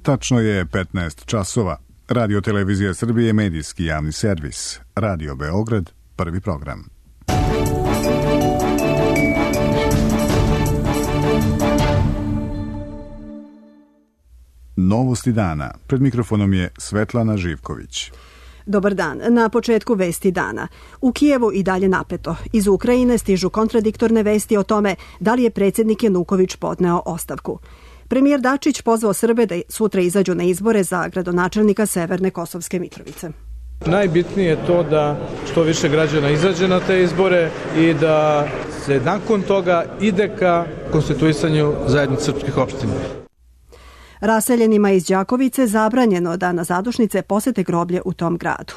Tačno je 15 časova. Radio Televizija Srbije, medijski javni servis. Radio Beograd, prvi program. Novosti dana. Pred mikrofonom je Svetlana Živković. Dobar dan. Na početku vesti dana. U Kijevu i dalje napeto. Iz Ukrajine stižu kontradiktorne vesti o tome da li je predsjednik Januković podneo ostavku. Premijer Dačić pozvao Srbe da sutra izađu na izbore za gradonačelnika Severne Kosovske Mitrovice. Najbitnije je to da što više građana izađe na te izbore i da se nakon toga ide ka konstituisanju zajednice srpskih opština. Raseljenima iz Đakovice zabranjeno da na zadušnice posete groblje u tom gradu.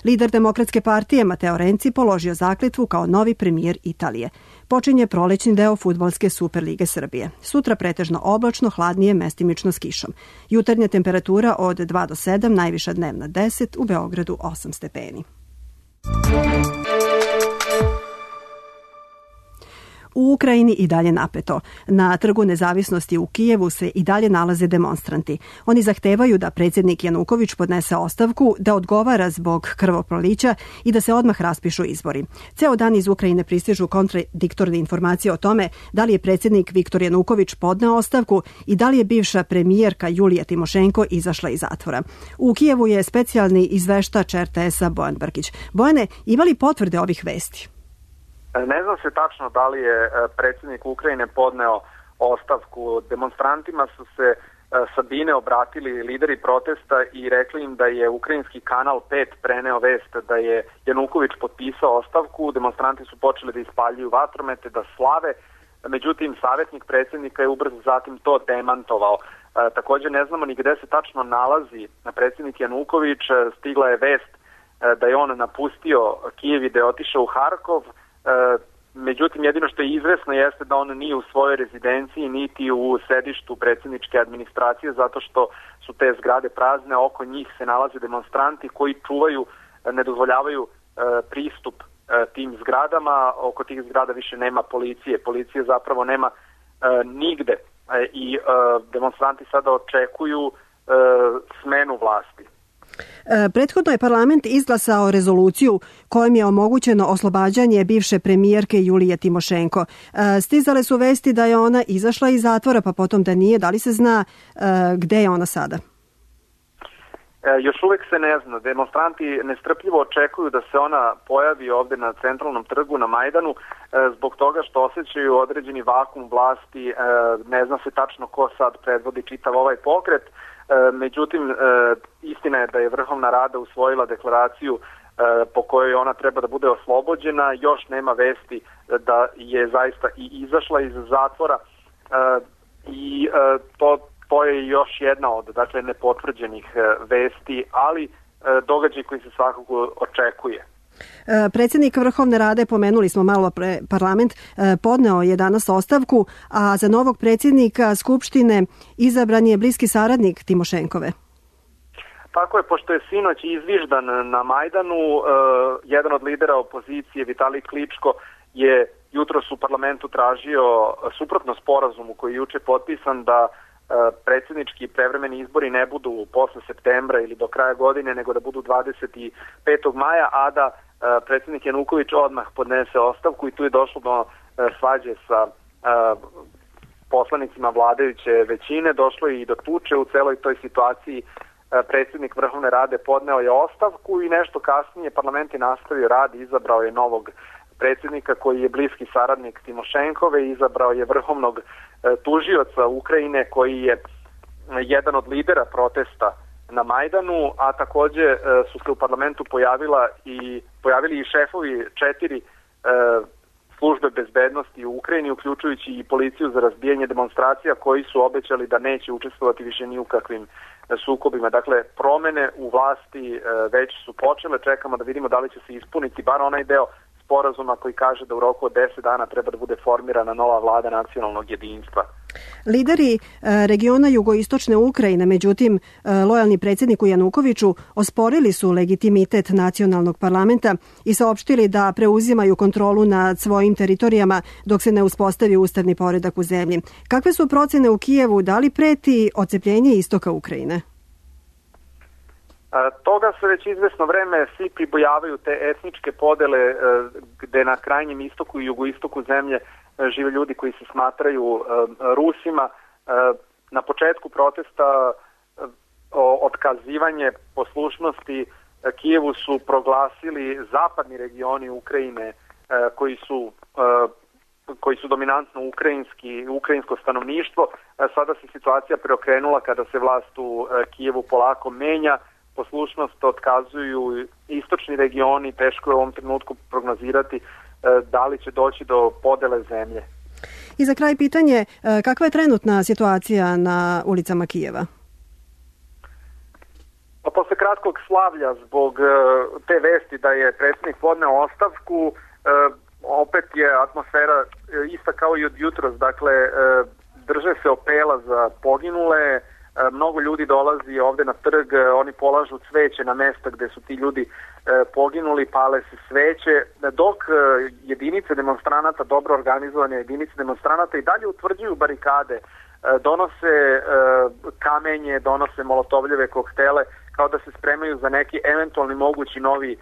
Lider Demokratske partije Mateo Renci položio zakletvu kao novi premijer Italije. Počinje prolećni deo fudbalske Superlige Srbije. Sutra pretežno oblačno, hladnije, mestimično s kišom. Jutarnja temperatura od 2 do 7, najviša dnevna 10, u Beogradu 8 stepeni. U Ukrajini i dalje napeto. Na Trgu nezavisnosti u Kijevu se i dalje nalaze demonstranti. Oni zahtevaju da predsjednik Januković podnese ostavku, da odgovara zbog krvoprolića i da se odmah raspišu izbori. Ceo dan iz Ukrajine pristižu kontradiktorne informacije o tome da li je predsjednik Viktor Januković podneo ostavku i da li je bivša premijerka Julija Timošenko izašla iz zatvora. U Kijevu je specijalni izveštač RTS-a Bojan Brkić. Bojane, ima li potvrde ovih vesti? Ne znam se tačno da li je predsjednik Ukrajine podneo ostavku. Demonstrantima su se sa bine obratili lideri protesta i rekli im da je ukrajinski kanal 5 preneo vest da je Januković potpisao ostavku. Demonstranti su počeli da ispaljuju vatromete, da slave. Međutim, savjetnik predsjednika je ubrzo zatim to demantovao. Također ne znamo ni gde se tačno nalazi predsjednik Januković. Stigla je vest da je on napustio Kijev i da je otišao u Harkov. Međutim, jedino što je izvesno jeste da on nije u svojoj rezidenciji niti u sedištu predsjedničke administracije, zato što su te zgrade prazne, oko njih se nalaze demonstranti koji čuvaju, ne dozvoljavaju pristup tim zgradama. Oko tih zgrada više nema policije. Policije zapravo nema nigde i demonstranti sada očekuju smenu vlasti. Prethodno je parlament izglasao rezoluciju kojom je omogućeno oslobađanje bivše premijerke Julije Timošenko. Stizale su vesti da je ona izašla iz zatvora, pa potom da nije. Da li se zna gde je ona sada? Još uvijek se ne zna. Demonstranti nestrpljivo očekuju da se ona pojavi ovdje na centralnom trgu na Majdanu zbog toga što osjećaju određeni vakum vlasti. Ne zna se tačno ko sad predvodi čitav ovaj pokret. Međutim, istina je da je Vrhovna Rada usvojila deklaraciju po kojoj ona treba da bude oslobođena. Još nema vesti da je zaista i izašla iz zatvora i to je još jedna od nepotvrđenih vesti, ali događaj koji se svakako očekuje. Predsjednik Vrhovne Rade, pomenuli smo malo pre parlament, podneo je danas ostavku, a za novog predsjednika Skupštine izabran je bliski saradnik Timošenkove. Tako je, pošto je sinoć izviždan na Majdanu, jedan od lidera opozicije, Vitalij Kličko, je jutros u parlamentu tražio, suprotno sporazumu koji je juče potpisan, da predsjednički prevremeni izbori ne budu posle septembra ili do kraja godine, nego da budu 25. maja, a da predsjednik Januković odmah podnese ostavku, i tu je došlo do svađe sa poslanicima vladajuće većine, došlo je i do tuče u celoj toj situaciji. Predsjednik Vrhovne Rade podneo je ostavku i nešto kasnije parlament je nastavio rad i izabrao je novog predsjednika koji je bliski saradnik Timošenkove, izabrao je vrhovnog tužioca Ukrajine koji je jedan od lidera protesta na Majdanu, a također su se u parlamentu pojavili i šefovi 4 službe bezbednosti u Ukrajini, uključujući i policiju za razbijanje demonstracija, koji su obećali da neće učestvovati više ni u kakvim sukobima. Dakle, promene u vlasti već su počele, čekamo da vidimo da li će se ispuniti bar onaj deo sporazuma koji kaže da u roku od 10 dana treba da bude formirana nova vlada nacionalnog jedinstva. Lideri regiona jugoistočne Ukrajine, međutim, lojalni predsjedniku Janukoviću, osporili su legitimitet nacionalnog parlamenta i saopštili da preuzimaju kontrolu nad svojim teritorijama dok se ne uspostavi ustavni poredak u zemlji. Kakve su procene u Kijevu? Da li preti odcepljenje istoka Ukrajine? Toga se već izvesno vreme svi pribojavaju te etničke podele gde na krajnjem istoku i jugoistoku zemlje žive ljudi koji se smatraju Rusima. Na početku protesta otkazivanje poslušnosti Kijevu su proglasili zapadni regioni Ukrajine koji su dominantno ukrajinsko stanovništvo. Sada se situacija preokrenula kada se vlast u Kijevu polako menja. Poslušnost otkazuju istočni regioni, teško je u ovom trenutku prognozirati da li će doći do podele zemlje. I za kraj pitanje, kakva je trenutna situacija na ulicama Kijeva? Posle kratkog slavlja zbog te vesti da je predsjednik podneo ostavku, opet je atmosfera ista kao i od jutros, dakle drže se opela za poginule. Mnogo ljudi dolazi ovde na trg, oni polažu cveće na mesta gde su ti ljudi poginuli, pale se sveće, dok jedinice demonstranata, dobro organizovane jedinice demonstranata i dalje utvrđuju barikade, donose kamenje, donose molotovljeve koktele, kao da se spremaju za neki eventualni mogući novi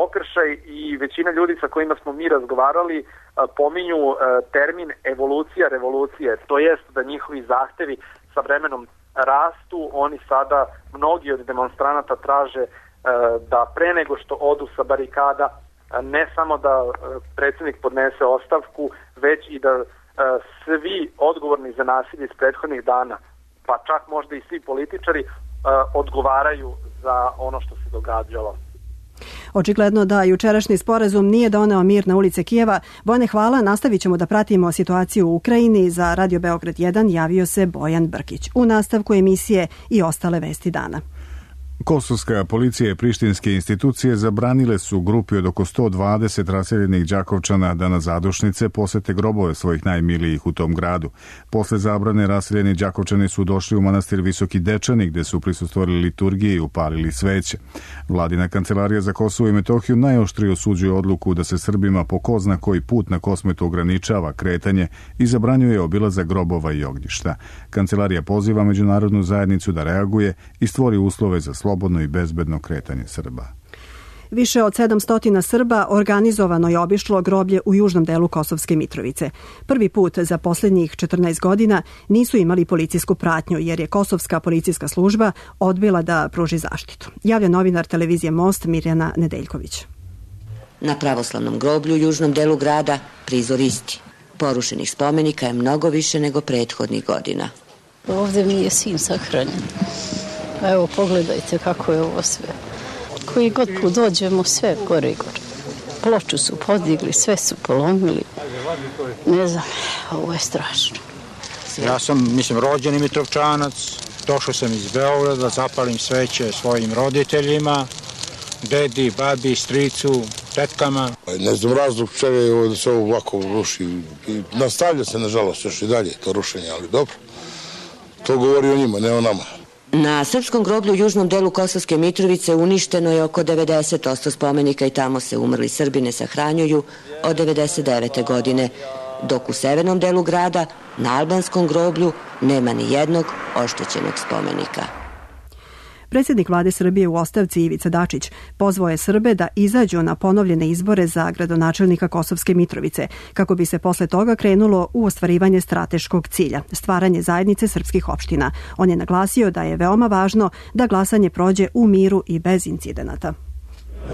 okršaj i većina ljudi sa kojima smo mi razgovarali pominju termin evolucija revolucije, to jest da njihovi zahtevi sa vremenom rastu. Oni sada, mnogi od demonstranata traže da pre nego što odu sa barikada, ne samo da predsjednik podnese ostavku, već i da svi odgovorni za nasilje iz prethodnih dana, pa čak možda i svi političari, odgovaraju za ono što se događalo. Očigledno da jučerašnji sporazum nije doneo mir na ulice Kijeva. Bojane, hvala. Nastavit ćemo da pratimo situaciju u Ukrajini. Za Radio Beograd 1 javio se Bojan Brkić. U nastavku emisije i ostale vesti dana. Kosovska policija i prištinske institucije zabranile su grupi od oko 120 raseljenih Đakovčana da na zadušnice posete grobove svojih najmilijih u tom gradu. Posle zabrane raseljeni Đakovčani su došli u manastir Visoki Dečani gde su prisustvovali liturgiji i upalili sveće. Vladina kancelarija za Kosovo i Metohiju najoštrije osuđuje odluku da se Srbima po ko zna koji put na Kosmetu ograničava kretanje i zabranjuje obilazak grobova i ognjišta. Kancelarija poziva međunarodnu zajednicu da reaguje i stvori uslove za slobodno i bezbedno kretanje Srba. Više od 700 Srba organizovano je obišlo groblje u južnom delu Kosovske Mitrovice. Prvi put za posljednjih 14 godina nisu imali policijsku pratnju jer je Kosovska policijska služba odbila da pruži zaštitu. Javlja novinar televizije Most Mirjana Nedeljković. Na pravoslavnom groblju u južnom delu grada prizor isti. Porušenih spomenika je mnogo više nego prethodnih godina. Ovdje mi je sin sahranjen. Evo, pogledajte kako je ovo sve. Koji god put dođemo, sve gore i gore. Ploču su podigli, sve su polomili. Ne znam, ovo je strašno. Ja sam, rođeni Mitrovčanac. Došao sam iz Beograda, zapalim sveće svojim roditeljima, dedi, babi, stricu, tetkama. Ne znam razlog čega je ovo da se ovo ovako ruši. I nastavlja se, nažalost, još i dalje to rušenje, ali dobro. To govori o njima, ne o nama. Na srpskom groblju u južnom delu Kosovske Mitrovice uništeno je oko 90% spomenika i tamo se umrli Srbi ne sahranjuju od 1999. godine, dok u severnom delu grada, na albanskom groblju, nema ni jednog oštećenog spomenika. Predsjednik vlade Srbije u ostavci Ivica Dačić pozvao je Srbe da izađu na ponovljene izbore za gradonačelnika Kosovske Mitrovice, kako bi se posle toga krenulo u ostvarivanje strateškog cilja, stvaranje zajednice srpskih opština. On je naglasio da je veoma važno da glasanje prođe u miru i bez incidenata.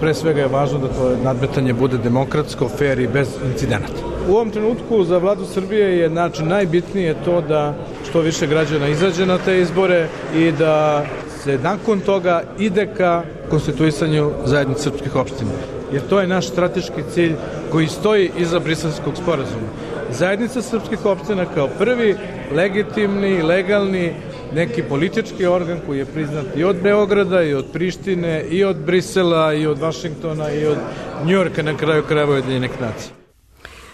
Pre svega je važno da to nadmetanje bude demokratsko, fair i bez incidenata. U ovom trenutku za vladu Srbije je najbitnije to da što više građana izađe na te izbore i da se nakon toga ide ka konstituisanju zajednice srpskih opština. Jer to je naš strateški cilj koji stoji iza Briselskog sporazuma. Zajednica srpskih opština kao prvi legitimni, legalni neki politički organ koji je priznat i od Beograda, i od Prištine, i od Brisela, i od Vašingtona, i od Njujorka, na kraju krajeva Ujedinjenih nacija.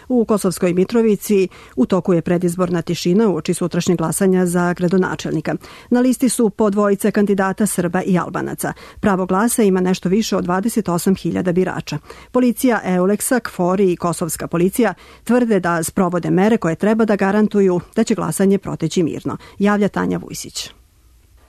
U Kosovskoj Mitrovici u toku je predizborna tišina uoči sutrašnjeg glasanja za gradonačelnika. Na listi su po dvojice kandidata Srba i Albanaca. Pravo glasa ima nešto više od 28.000 birača. Policija EULEX-a, KFOR i kosovska policija tvrde da sprovode mere koje treba da garantuju da će glasanje proteći mirno. Javlja Tanja Vujsić.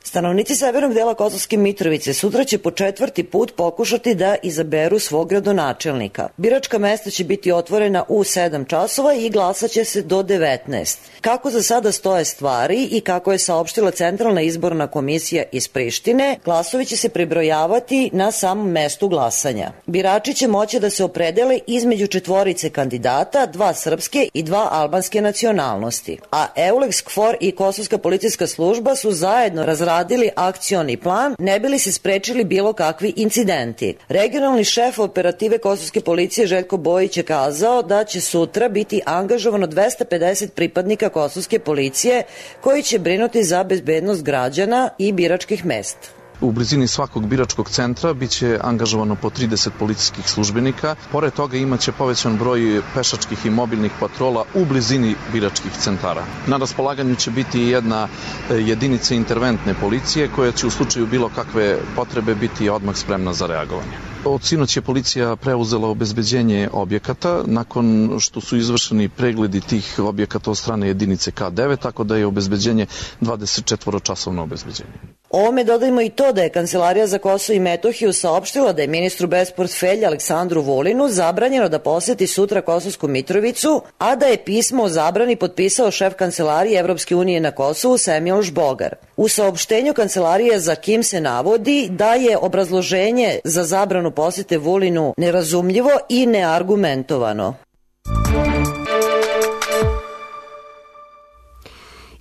Stanovnici severnog dela Kosovske Mitrovice sutra će po 4. put pokušati da izaberu svog gradonačelnika. Biračka mesta će biti otvorena u 7 časova i glasaće se do 19. Kako za sada stoje stvari i kako je saopštila Centralna izborna komisija iz Prištine, glasovi će se prebrojavati na samom mestu glasanja. Birači će moći da se opredele između 4 kandidata, 2 srpske i 2 albanske nacionalnosti. A EULEX, KFOR i Kosovska policijska služba su zajedno razradili akcioni plan, ne bi li se sprečili bilo kakvi incidenti. Regionalni šef operative Kosovske policije Željko Bojić je kazao da će sutra biti angažovano 250 pripadnika Kosovske policije koji će brinuti za bezbednost građana i biračkih mesta. U blizini svakog biračkog centra biće angažovano po 30 policijskih službenika. Pored toga imaće povećan broj pešačkih i mobilnih patrola u blizini biračkih centara. Na raspolaganju će biti jedna jedinica interventne policije koja će u slučaju bilo kakve potrebe biti odmah spremna za reagovanje. Od sinoć je policija preuzela obezbeđenje objekata nakon što su izvršeni pregledi tih objekata od strane jedinice K9, tako da je obezbeđenje 24-časovno obezbeđenje. Ovome dodajmo i to da je Kancelarija za Kosovo i Metohiju saopštila da je ministru bez portfelja Aleksandru Vulinu zabranjeno da poseti sutra Kosovsku Mitrovicu, a da je pismo o zabrani potpisao šef Kancelarije Evropske unije na Kosovu Semjož Bogar. U saopštenju Kancelarije za Kim se navodi da je obrazloženje za zabranu posete Vulinu nerazumljivo i neargumentovano.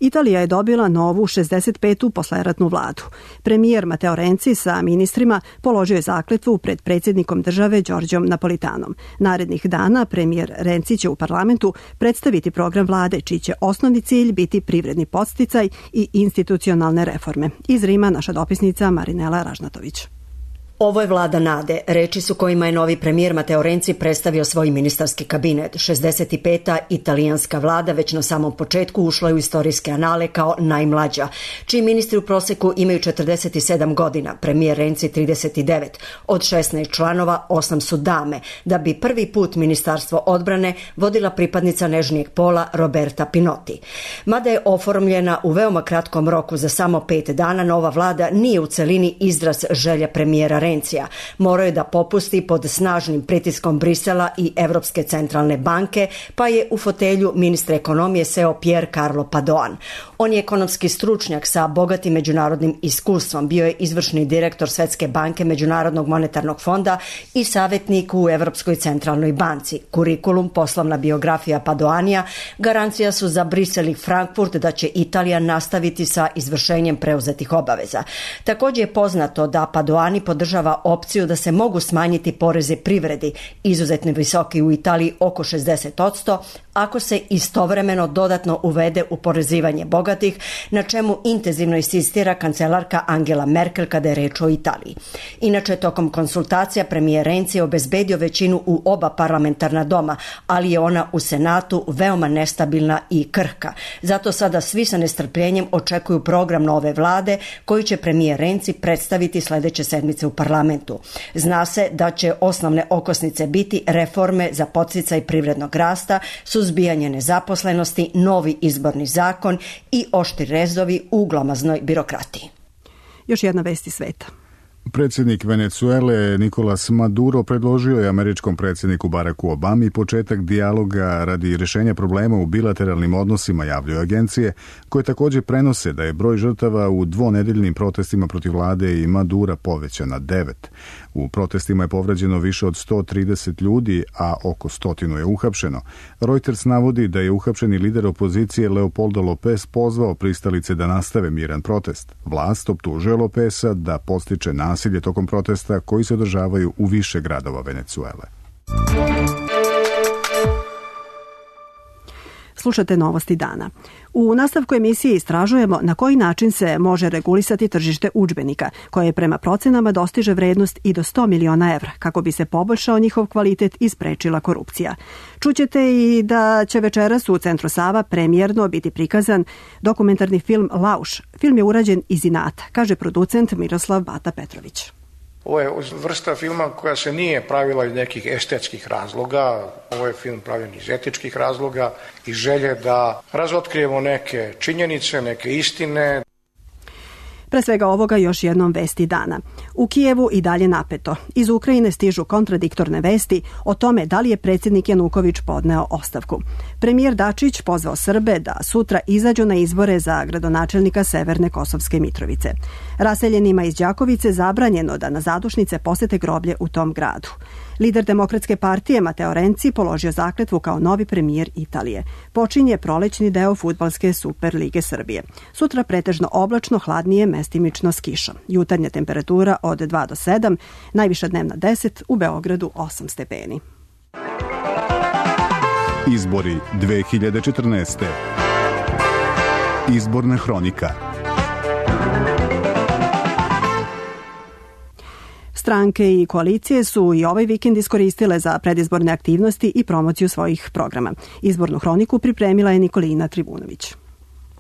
Italija je dobila novu 65. posleratnu vladu. Premijer Matteo Renzi sa ministrima položio je zakletvu pred predsjednikom države Đorđom Napolitanom. Narednih dana premijer Renzi će u parlamentu predstaviti program vlade, čiji će osnovni cilj biti privredni podsticaj i institucionalne reforme. Iz Rima naša dopisnica Marinela Ražnatović. Ovo je vlada nade, reči su kojima je novi premijer Matteo Renzi predstavio svoj ministarski kabinet. 65. italijanska vlada već na samom početku ušla je u istorijske anale kao najmlađa, čiji ministri u proseku imaju 47 godina, premijer Renzi 39. Od 16 članova 8 su dame, da bi prvi put ministarstvo odbrane vodila pripadnica nežnijeg pola Roberta Pinotti. Mada je oformljena u veoma kratkom roku za samo 5 dana, nova vlada nije u celini izraz želja premijera Renzija. Morao je da popusti pod snažnim pritiskom Brisela i Evropske centralne banke, pa je u fotelju ministra ekonomije seo Pier Carlo Padoan. On je ekonomski stručnjak sa bogatim međunarodnim iskustvom, bio je izvršni direktor Svetske banke, Međunarodnog monetarnog fonda i savjetnik u Evropskoj centralnoj banci. Kurikulum, poslovna biografija Padoanija garancija su za Brisel i Frankfurt da će Italija nastaviti sa izvršenjem preuzetih obaveza. Također je poznato da Padoani podržava opciju da se mogu smanjiti porezi privredi, izuzetno visoki u Italiji oko 60%, ako se istovremeno dodatno uvede oporezivanje bogatih, na čemu intenzivno insistira kancelarka Angela Merkel kada je reč o Italiji. Inače, tokom konsultacija premijer Renzi je obezbedio većinu u oba parlamentarna doma, ali je ona u Senatu veoma nestabilna i krhka. Zato sada svi sa nestrpljenjem očekuju program nove vlade koji će premijer Renzi predstaviti sljedeće sedmice u parlamentu. Zna se da će osnovne okosnice biti reforme za podsticaj privrednog rasta, suzbijanje nezaposlenosti, novi izborni zakon i oštri rezovi u glomaznoj birokratiji. Još jedna vest iz sveta. Predsjednik Venezuele Nicolas Maduro predložio je američkom predsjedniku Baracku Obami početak dijaloga radi rješenja problema u bilateralnim odnosima, javljaju agencije, koje također prenose da je broj žrtava u dvonedeljnim protestima protiv vlade i Madura povećan na 9. U protestima je povređeno više od 130 ljudi, a oko 100 je uhapšeno. Reuters navodi da je uhapšeni lider opozicije Leopoldo López pozvao pristalice da nastave miran protest. Vlast optužuje Lópeza da podstiče nasilje tokom protesta koji se održavaju u više gradova Venezuele. Slušate Novosti dana. U nastavku emisije istražujemo na koji način se može regulisati tržište udžbenika, koje prema procenama dostiže vrednost i do 100 miliona evra, kako bi se poboljšao njihov kvalitet i sprečila korupcija. Čućete i da će večeras u Centru Sava premijerno biti prikazan dokumentarni film Lauš. Film je urađen iz inata, kaže producent Miroslav Bata Petrović. Ovo je vrsta filma koja se nije pravila iz nekih estetskih razloga. Ovo je film pravljen iz etičkih razloga i želje da razotkrijemo neke činjenice, neke istine. Pre svega ovoga još jednom vesti dana. U Kijevu i dalje napeto. Iz Ukrajine stižu kontradiktorne vesti o tome da li je predsjednik Januković podneo ostavku. Premijer Dačić pozvao Srbe da sutra izađu na izbore za gradonačelnika Severne Kosovske Mitrovice. Raseljenima iz Đakovice zabranjeno da na zadušnice posete groblje u tom gradu. Lider Demokratske partije Mateo Renci položio zakletvu kao novi premijer Italije. Počinje prolećni deo fudbalske Super lige Srbije. Sutra pretežno oblačno, hladnije, mestimično s kišom. Jutarnja temperatura od 2 do 7, najviša dnevna 10, u Beogradu 8 stepeni. Izbori 2014. Izborna hronika. Stranke i koalicije su i ovaj vikend iskoristile za predizborne aktivnosti i promociju svojih programa. Izbornu hroniku pripremila je Nikolina Tribunović.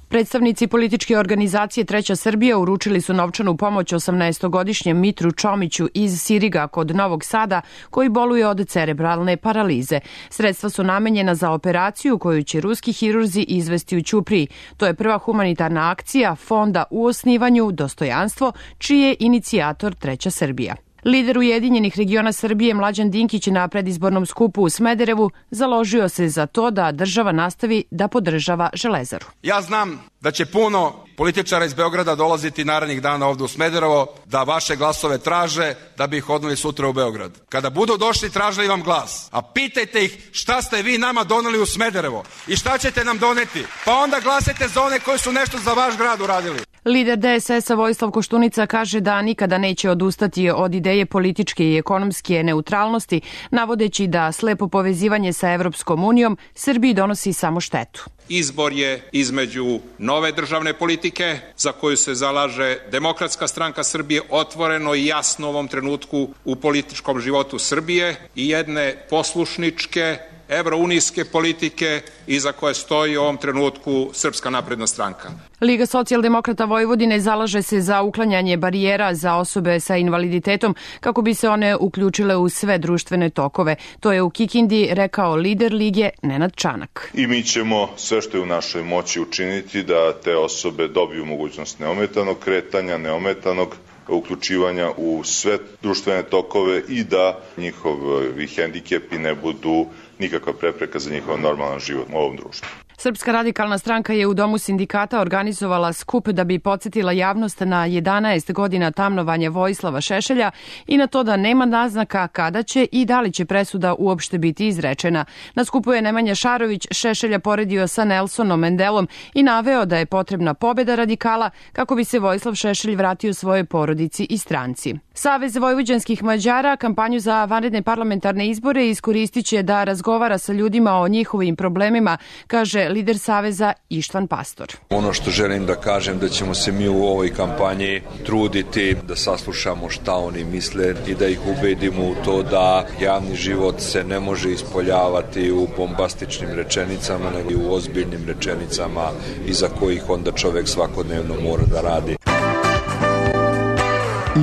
Predstavnici političke organizacije Treća Srbija uručili su novčanu pomoć 18-godišnjem Mitru Čomiću iz Siriga kod Novog Sada, koji boluje od cerebralne paralize. Sredstva su namenjena za operaciju koju će ruski hirurzi izvesti u Ćupriji. To je prva humanitarna akcija fonda u osnivanju Dostojanstvo, čiji je inicijator Treća Srbija. Lider Ujedinjenih regiona Srbije Mlađan Dinkić na predizbornom skupu u Smederevu založio se za to da država nastavi da podržava Železaru. Ja znam da će puno političara iz Beograda dolaziti narednih dana ovde u Smederevo da vaše glasove traže da bi ih odneli sutra u Beograd. Kada budu došli tražili vam glas, a pitajte ih šta ste vi nama doneli u Smederevo i šta ćete nam doneti, pa onda glasajte za one koji su nešto za vaš grad uradili. Lider DSS-a Vojislav Koštunica kaže da nikada neće odustati od ideje političke i ekonomske neutralnosti, navodeći da slepo povezivanje sa Evropskom unijom Srbiji donosi samo štetu. Izbor je između nove državne politike za koju se zalaže Demokratska stranka Srbije otvoreno i jasno u ovom trenutku u političkom životu Srbije i jedne poslušničke evrounijske politike iza koje stoji u ovom trenutku Srpska napredna stranka. Liga socijaldemokrata Vojvodine zalaže se za uklanjanje barijera za osobe sa invaliditetom kako bi se one uključile u sve društvene tokove. To je u Kikindi rekao lider Lige Nenad Čanak. I mi ćemo sve što je u našoj moći učiniti da te osobe dobiju mogućnost neometanog kretanja, neometanog uključivanja u sve društvene tokove i da njihovi hendikepi ne budu nikakva prepreka za njihov normalan život u ovom društvu. Srpska radikalna stranka je u Domu sindikata organizovala skup da bi podsjetila javnost na 11 godina tamnovanja Vojislava Šešelja i na to da nema naznaka kada će i da li će presuda uopšte biti izrečena. Na skupu je Nemanja Šarović Šešelja poredio sa Nelsonom Mandelom i naveo da je potrebna pobeda radikala kako bi se Vojislav Šešelj vratio svojoj porodici i stranci. Savez vojvođanskih Mađara kampanju za vanredne parlamentarne izbore iskoristit će da razgovara sa ljudima o njihovim problemima, kaže lider Saveza Ištvan Pastor. Ono što želim da kažem da ćemo se mi u ovoj kampanji truditi da saslušamo šta oni misle i da ih ubedimo u to da javni život se ne može ispoljavati u bombastičnim rečenicama, nego i u ozbiljnim rečenicama iza kojih onda čovek svakodnevno mora da radi.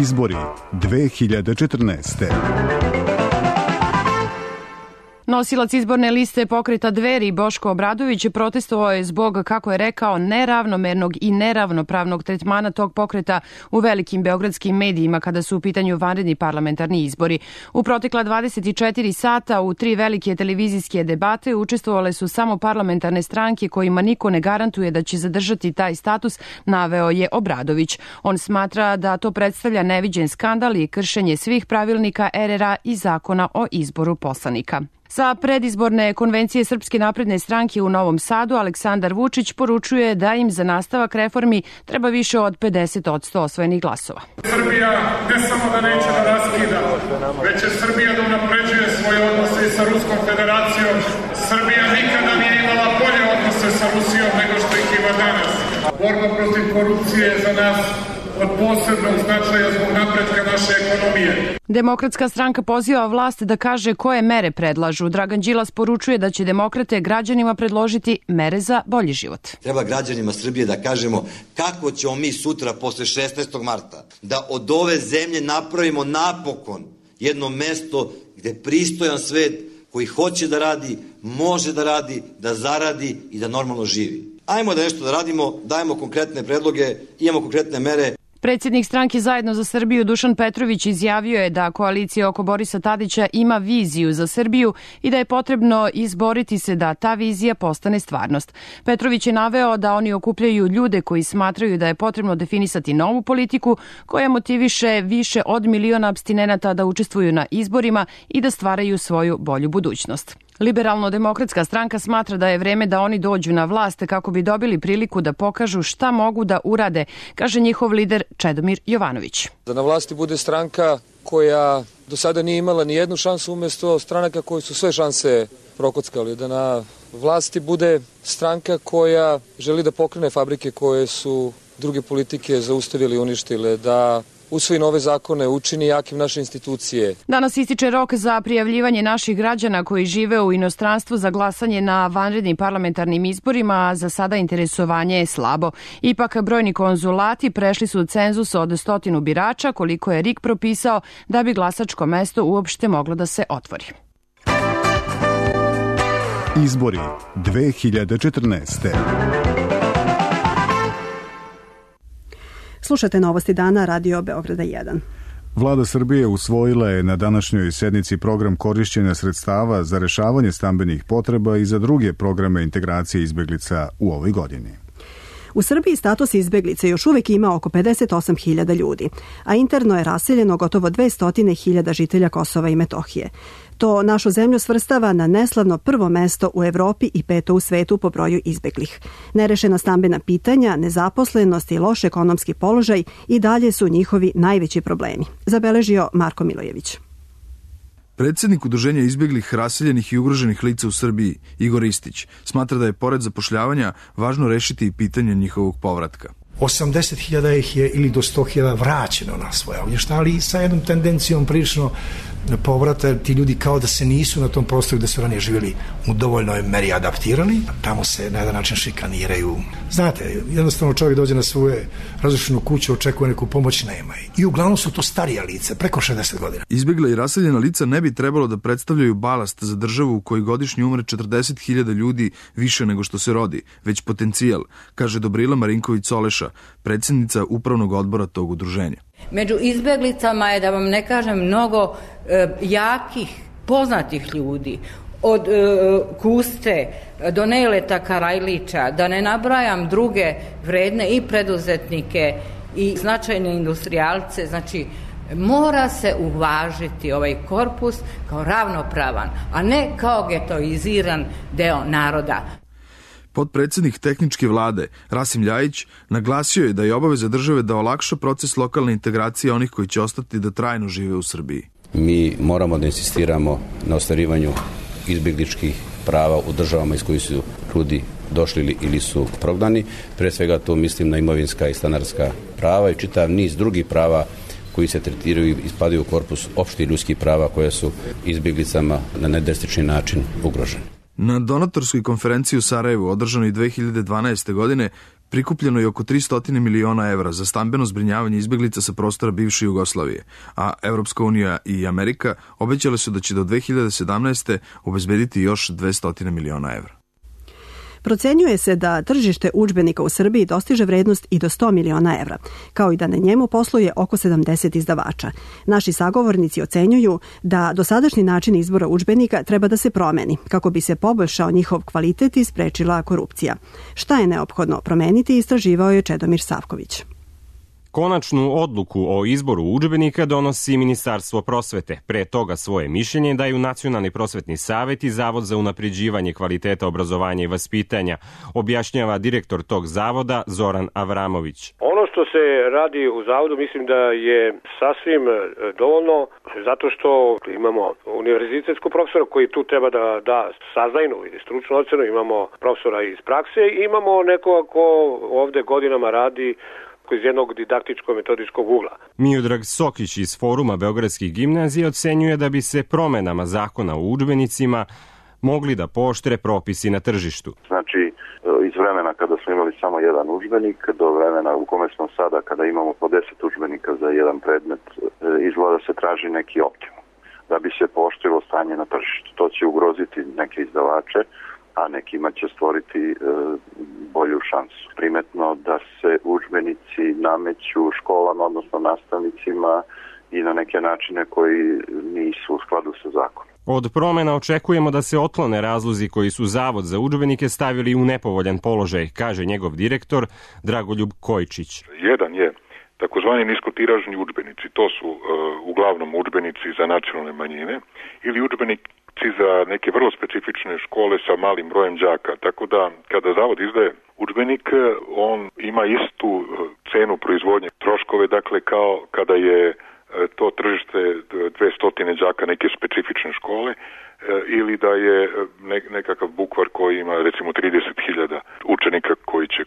Izbori 2014. Nosilac izborne liste Pokreta Dveri Boško Obradović protestovao je zbog, kako je rekao, neravnomernog i neravnopravnog tretmana tog pokreta u velikim beogradskim medijima kada su u pitanju vanredni parlamentarni izbori. U protekla 24 sata u 3 velike televizijske debate učestvovale su samo parlamentarne stranke kojima niko ne garantuje da će zadržati taj status, naveo je Obradović. On smatra da to predstavlja neviđen skandal i kršenje svih pravilnika RRA i zakona o izboru poslanika. Sa predizborne konvencije Srpske napredne stranke u Novom Sadu Aleksandar Vučić poručuje da im za nastavak reformi treba više od 50% osvojenih glasova. Srbija ne samo da neće da raskida, već će Srbija da unapređuje svoje odnose sa Ruskom federacijom. Srbija nikada nije imala bolje odnose Borba protiv korupcije je za nas od posebnog značaja zbog napretka naše ekonomije. Demokratska stranka poziva vlast da kaže koje mere predlažu. Dragan Đilas poručuje da će demokrate građanima predložiti mere za bolji život. Treba građanima Srbije da kažemo kako ćemo mi sutra posle 16. marta da od ove zemlje napravimo napokon jedno mesto gde pristojan svet koji hoće da radi, može da radi, da zaradi i da normalno živi. Ajmo da nešto da radimo, dajemo konkretne predloge, imamo konkretne mere. Predsjednik stranke Zajedno za Srbiju Dušan Petrović izjavio je da koalicija oko Borisa Tadića ima viziju za Srbiju i da je potrebno izboriti se da ta vizija postane stvarnost. Petrović je naveo da oni okupljaju ljude koji smatraju da je potrebno definisati novu politiku koja motiviše više od miliona apstinenata da učestvuju na izborima i da stvaraju svoju bolju budućnost. Liberalno-demokratska stranka smatra da je vreme da oni dođu na vlast kako bi dobili priliku da pokažu šta mogu da urade, kaže njihov lider Čedomir Jovanović. Da na vlasti bude stranka koja do sada nije imala ni jednu šansu umjesto stranaka koji su sve šanse prokockali. Da na vlasti bude stranka koja želi da pokrene fabrike koje su druge politike zaustavili i uništile, da usvoji nove zakone, učini jakim naše institucije. Danas ističe rok za prijavljivanje naših građana koji žive u inostranstvu za glasanje na vanrednim parlamentarnim izborima, a za sada interesovanje je slabo. Ipak brojni konzulati prešli su cenzus od 100 birača, koliko je RIK propisao da bi glasačko mesto uopšte moglo da se otvori. Izbori 2014. Slušate Novosti dana, Radio Beograda 1. Vlada Srbije usvojila je na današnjoj sednici program korišćenja sredstava za rešavanje stambenih potreba i za druge programe integracije izbeglica u ovoj godini. U Srbiji status izbeglice još uvijek ima oko 58.000 ljudi, a interno je raseljeno gotovo 200.000 žitelja Kosova i Metohije. To našu zemlju svrstava na neslavno prvo mesto u Evropi i 5. u svetu po broju izbeglih. Nerešena stambena pitanja, nezaposlenost i loš ekonomski položaj i dalje su njihovi najveći problemi, zabeležio Marko Milojević. Predsjednik Udruženja izbjeglih, raseljenih i ugroženih lica u Srbiji, Igor Istić, smatra da je pored zapošljavanja važno rešiti i pitanje njihovog povratka. 80.000 ih je ili do 100.000 vraćeno na svoje ognjišta, ali sa jednom tendencijom prilično povrata, ti ljudi kao da se nisu na tom prostoru gde su ranije živjeli u dovoljnoj meri adaptirali, tamo se na jedan način šikaniraju. Znate, jednostavno čovjek dođe na svoje razrušenu kuću, očekuje neku pomoć, nema. I uglavnom su to starija lica, preko 60 godina. Izbjegla i raseljena lica ne bi trebalo da predstavljaju balast za državu u kojoj godišnje umre 40.000 ljudi više nego što se rodi, već potencijal, kaže Dobrila Marinković-Soleša, predsjednica upravnog odbora tog udruženja. Među izbjeglicama je, da vam ne kažem, mnogo jakih, poznatih ljudi, od Kuste do Neleta Karajlića, da ne nabrajam druge vredne i preduzetnike i značajne industrijalce. Znači, mora se uvažiti ovaj korpus kao ravnopravan, a ne kao getoiziran deo naroda. Potpredsjednik tehničke vlade, Rasim Ljajić, naglasio je da je obaveza države da olakša proces lokalne integracije onih koji će ostati da trajno žive u Srbiji. Mi moramo da insistiramo na ostvarivanju izbjegličkih prava u državama iz kojih su ljudi došli ili su prognani. Pre svega to mislim na imovinska i stanarska prava i čitav niz drugih prava koji se tretiraju i ispadaju u korpus opštih ljudskih prava koje su izbjeglicama na nedrastični način ugrožene. Na donatorskoj konferenciji u Sarajevu, održanoj 2012. godine, prikupljeno je oko 300 miliona evra za stambeno zbrinjavanje izbjeglica sa prostora bivše Jugoslavije, a Evropska unija i Amerika obećale su da će do 2017. obezbediti još 200 miliona evra. Procenjuje se da tržište udžbenika u Srbiji dostiže vrednost i do 100 miliona evra, kao i da na njemu posluje oko 70 izdavača. Naši sagovornici ocenjuju da dosadašnji način izbora udžbenika treba da se promeni, kako bi se poboljšao njihov kvalitet i sprečila korupcija. Šta je neophodno promeniti, istraživao je Čedomir Savković. Konačnu odluku o izboru udžbenika donosi Ministarstvo prosvete. Pre toga svoje mišljenje daju Nacionalni prosvetni savet i Zavod za unapređivanje kvaliteta obrazovanja i vaspitanja, objašnjava direktor tog zavoda Zoran Avramović. Ono što se radi u zavodu mislim da je sasvim dovoljno, zato što imamo univerzitetskog profesora koji tu treba da da saznajnu ili stručnu ocenu, imamo profesora iz prakse i imamo nekoga ko ovde godinama radi iz jednog didaktičko-metodičkog ugla. Miodrag Sokić iz Foruma Beogradskih gimnazija ocenjuje da bi se promenama zakona o udžbenicima mogli da pooštre propisi na tržištu. Znači, iz vremena kada smo imali samo jedan udžbenik do vremena u kome smo sada kada imamo po 10 udžbenika za jedan predmet, izgleda se traži neki optimum da bi se pooštrilo stanje na tržištu. To će ugroziti neke izdavače, a nekima će stvoriti bolju šansu. Primetno da se udžbenici nameću školama, odnosno nastavnicima i na neke načine koji nisu u skladu sa zakonom. Od promena očekujemo da se otklone razlozi koji su Zavod za udžbenike stavili u nepovoljan položaj, kaže njegov direktor Dragoljub Kojčić. Jedan je takozvani niskotiražni udžbenici. To su uglavnom udžbenici za nacionalne manjine ili udžbenici za neke vrlo specifične škole sa malim brojem đaka. Tako da kada Zavod izdaje udžbenik, on ima istu cenu proizvodnje troškove, dakle kao kada je to tržište 200 đaka neke specifične škole ili da je nekakav bukvar koji ima recimo 30.000 učenika koji će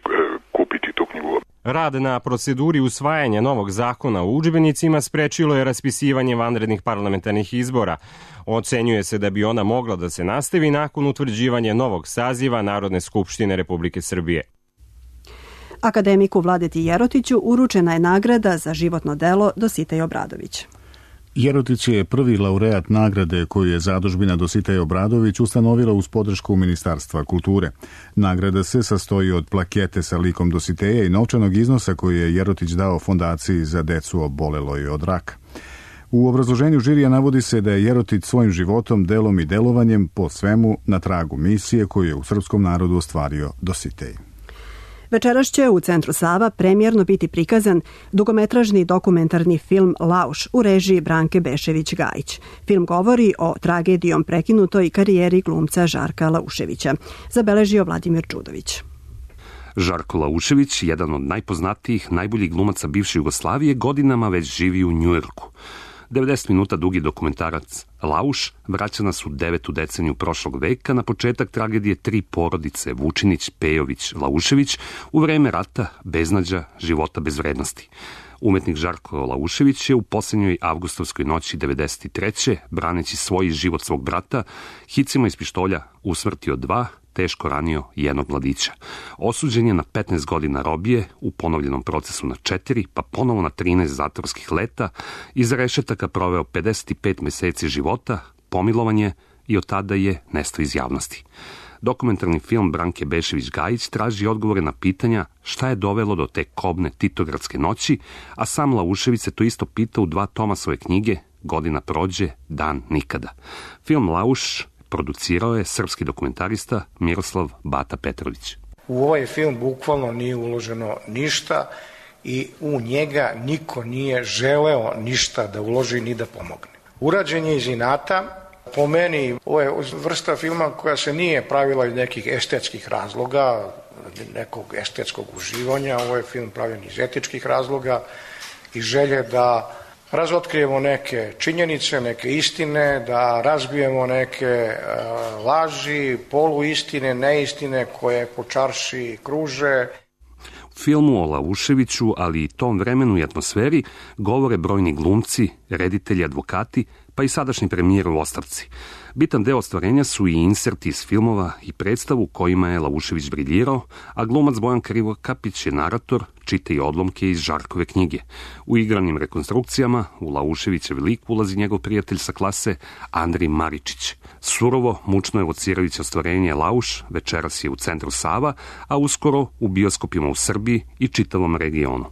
kupiti tu knjigu. Rad na proceduri usvajanja novog zakona o udžbenicima sprečilo je raspisivanje vanrednih parlamentarnih izbora. Ocenjuje se da bi ona mogla da se nastavi nakon utvrđivanja novog saziva Narodne skupštine Republike Srbije. Akademiku Vladeti Jerotiću uručena je nagrada za životno delo Dositej Obradović. Jerotić je prvi laureat nagrade koju je zadužbina Dositej Obradović ustanovila uz podršku Ministarstva kulture. Nagrada se sastoji od plakete sa likom Dositeja i novčanog iznosa koji je Jerotić dao fondaciji za decu oboleloj od raka. U obrazloženju žirija navodi se da je Jerotić svojim životom, delom i delovanjem po svemu na tragu misije koju je u srpskom narodu ostvario Dositej. Večeras će u Centru Sava premijerno biti prikazan dugometražni dokumentarni film Lauš u režiji Branke Bešević-Gajić. Film govori o tragedijom prekinutoj karijeri glumca Žarka Lauševića. Zabeležio Vladimir Čudović. Žarko Laušević, jedan od najpoznatijih, najboljih glumaca bivše Jugoslavije, godinama već živi u Njujorku. 90 minuta dugi dokumentarac Lauš vraća nas u 9. deceniju prošlog veka na početak tragedije 3 porodice Vučinić, Pejović, Laušević u vreme rata, beznađa, života bez vrednosti. Umetnik Žarko Laušević je u posljednjoj avgustovskoj noći 93. braneći svoj život svog brata, hicima iz pištolja usmrtio 2, teško ranio jednog mladića. Osuđen je na 15 godina robije, u ponovljenom procesu na 4, pa ponovo na 13 zatvorskih leta, iza rešetaka proveo 55 meseci života, pomilovan je i od tada je nestao iz javnosti. Dokumentarni film Branke Bešević-Gajić traži odgovore na pitanja šta je dovelo do te kobne titogradske noći, a sam Laušević se to isto pita u 2 toma svoje knjige Godina prođe, dan nikada. Film Lauš producirao je srpski dokumentarista Miroslav Bata Petrović. U ovaj film bukvalno nije uloženo ništa i u njega niko nije želeo ništa da uloži ni da pomogne. Urađen je iz inata. Po meni, ovo je vrsta filma koja se nije pravila iz nekih estetskih razloga, nekog estetskog uživanja. Ovo je film pravljen iz etičkih razloga i želje da razotkrijemo neke činjenice, neke istine, da razbijemo neke laži, poluistine, neistine koje po čarši kruže. U filmu o Lauševiću, ali i tom vremenu i atmosferi, govore brojni glumci, reditelji, advokati, pa i sadašnji premijer u ostavci. Bitan deo ostvarenja su i inserti iz filmova i predstavu kojima je Laušević briljirao, a glumac Bojan Krivokapić je narator, čita i odlomke iz Žarkove knjige. U igranim rekonstrukcijama u Lauševićev lik ulazi njegov prijatelj sa klase Andrij Maričić. Surovo, mučno evocirajuće ostvarenje Lauš večeras je u Centru Sava, a uskoro u bioskopima u Srbiji i čitavom regionu.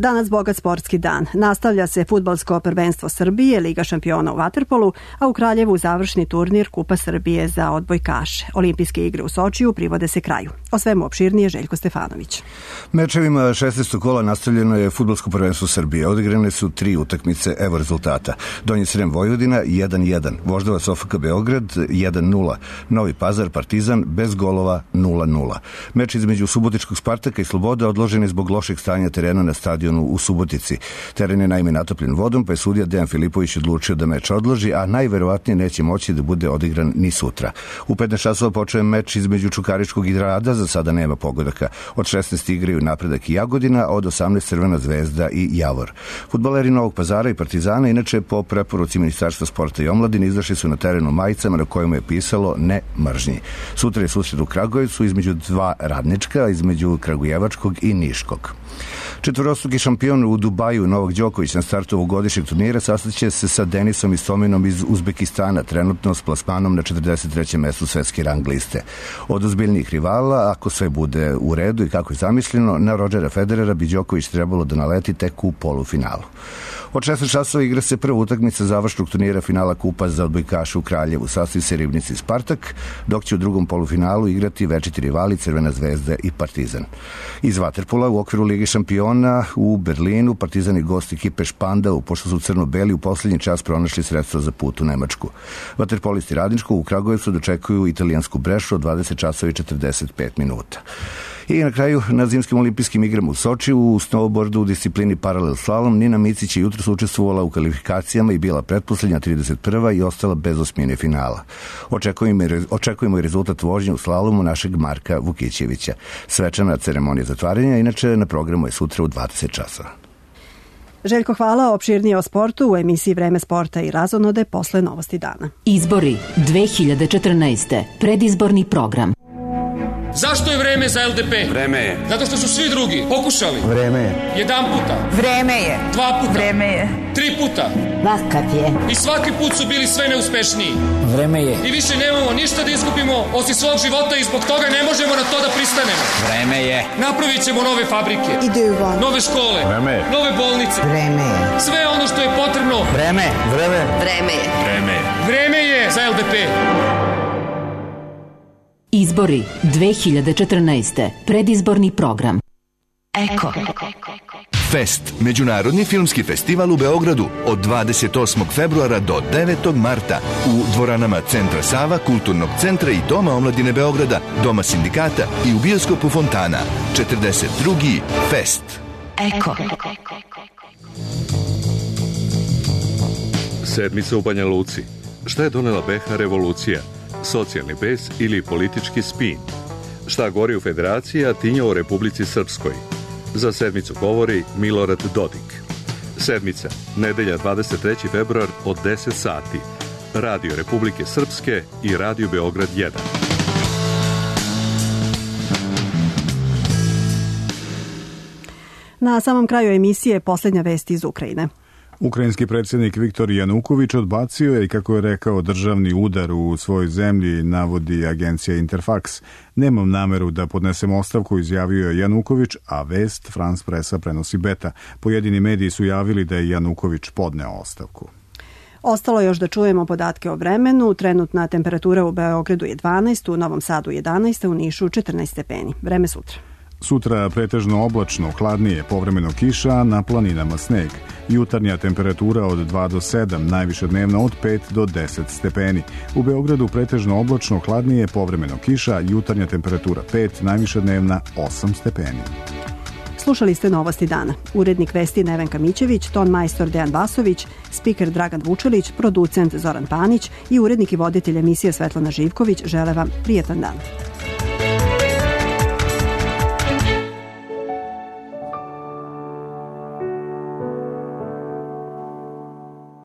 Danas bogat sportski dan. Nastavlja se fudbalsko prvenstvo Srbije, Liga šampiona u vaterpolu, a u Kraljevu završni turnir Kupa Srbije za odbojkaše. Olimpijske igre u Sočiju privode se kraju. O svemu opširnije Željko Stefanović. Mečevima 16. kola nastavljeno je fudbalsko prvenstvo Srbije. Odigrane su 3 utakmice, evo rezultata. Donji Srem Vojvodina 1-1, Voždovac OFK Beograd 1-0, Novi Pazar Partizan bez golova 0-0. Meč između Subotičkog Spartaka i Sloboda odložen je zbog lošeg stanja terena na stadionu u Subotici. Teren je naime natopljen vodom, pa je sudija Dejan Filipović odlučio da meč odloži, a najverovatnije neće moći da bude odigran ni sutra. U 15 časova počeo je meč između Čukaričkog i Rada, za sada nema pogodaka. Od 16 igraju Napredak i Jagodina, od 18 Crvena Zvezda i Javor. Fudbaleri Novog Pazara i Partizana, inače po preporuci Ministarstva sporta i omladine, izašli su na terenu majicama na kojima je pisalo ne mržnji. Sutra je susret u Kragujevcu između 2 radnička, između Kragujevačkog i Niškog. Četvorostruki šampion u Dubaju Novak Đoković na startu ovogodišnjeg turnira sastaće se sa Denisom Istominom iz Uzbekistana, trenutno s plasmanom na 43. mestu svetske rang liste. Od ozbiljnijih rivala, ako sve bude u redu i kako je zamišljeno, na Rodgera Federera bi Đoković trebalo da naleti tek u polufinalu. Od 16 časova igra se prva utakmica završnog turnira finala Kupa za odbojkaše u Kraljevu. Sastoji se Ribnici Spartak, dok će u drugom polufinalu igrati večiti rivali Crvena Zvezda i Partizan. Iz vaterpola u okviru Lige šampiona u Berlinu Partizan i gost ekipe Špandau, pošto su crno-beli u poslednji čas pronašli sredstva za put u Nemačku. Vaterpolisti Radničkog u Kragujevcu dočekuju italijansku Brešu od 20 časova i 45 minuta. I na kraju, na zimskim olimpijskim igrama u Sočiju, u snowboardu u disciplini paralel slalom, Nina Micić je jutros učestvovala u kvalifikacijama i bila pretposlednja 31. i ostala bez osmine finala. Očekujemo i rezultat vožnje u slalomu našeg Marka Vukićevića. Svečana ceremonija zatvaranja, inače na programu je sutra u 20 časova. Željko, hvala. Opširnije o sportu u emisiji Vreme sporta i razonode posle Novosti dana. Izbori 2014. Predizborni program. Zašto je vreme za LDP? Vreme je. Zato što su svi drugi pokušali. Vreme je. Jedan puta. Vreme je. 2 puta. Vreme je. 3 puta. Vakav je. I svaki put su bili sve neuspešniji. Vreme je. I više nemamo ništa da izgubimo osim svog života i zbog toga ne možemo na to da pristanemo. Vreme je. Napravit ćemo nove fabrike. Nove škole. Vreme je. Nove bolnice. Vreme je. Sve ono što je potrebno. Vreme. Vreme. Vreme je. Vreme je. Vreme je za LDP. Izbori 2014. Predizborni program. Eko. Fest, međunarodni filmski festival u Beogradu od 28. februara do 9. marta u dvoranama Centra Sava, Kulturnog centra i Doma omladine Beograda, Doma sindikata i u bioskopu Fontana. 42. Fest. Eko. Sedmica u Banja Luci. Šta je donela BiH revolucija? Socijalni bes ili politički spin? Šta gori u Federaciji, a tinja o Republici Srpskoj? Za sedmicu govori Milorad Dodik. Sedmica, nedelja 23. februar od 10 sati. Radio Republike Srpske i Radio Beograd 1. Na samom kraju emisije posljednja vest iz Ukrajine. Ukrajinski predsjednik Viktor Januković odbacio je i, kako je rekao, državni udar u svojoj zemlji, navodi agencija Interfax. Nemam nameru da podnesem ostavku, izjavio je Januković, a vest France Pressa prenosi Beta. Pojedini mediji su javili da je Januković podneo ostavku. Ostalo još da čujemo podatke o vremenu. Trenutna temperatura u Beogradu je 12, u Novom Sadu 11, u Nišu 14 stepeni. Vreme sutra. Sutra pretežno oblačno, hladnije, povremeno kiša, na planinama sneg. Jutarnja temperatura od 2 do 7, najviša dnevna od 5 do 10 stepeni. U Beogradu pretežno oblačno, hladnije, povremeno kiša, jutarnja temperatura 5, najviša dnevna 8 stepeni. Slušali ste Novosti dana. Urednik vesti Nevenka Mićević, ton majstor Dejan Vasović, spiker Dragan Vučelić, producent Zoran Panić i urednik i voditelj emisije Svetlana Živković žele vam prijetan dan.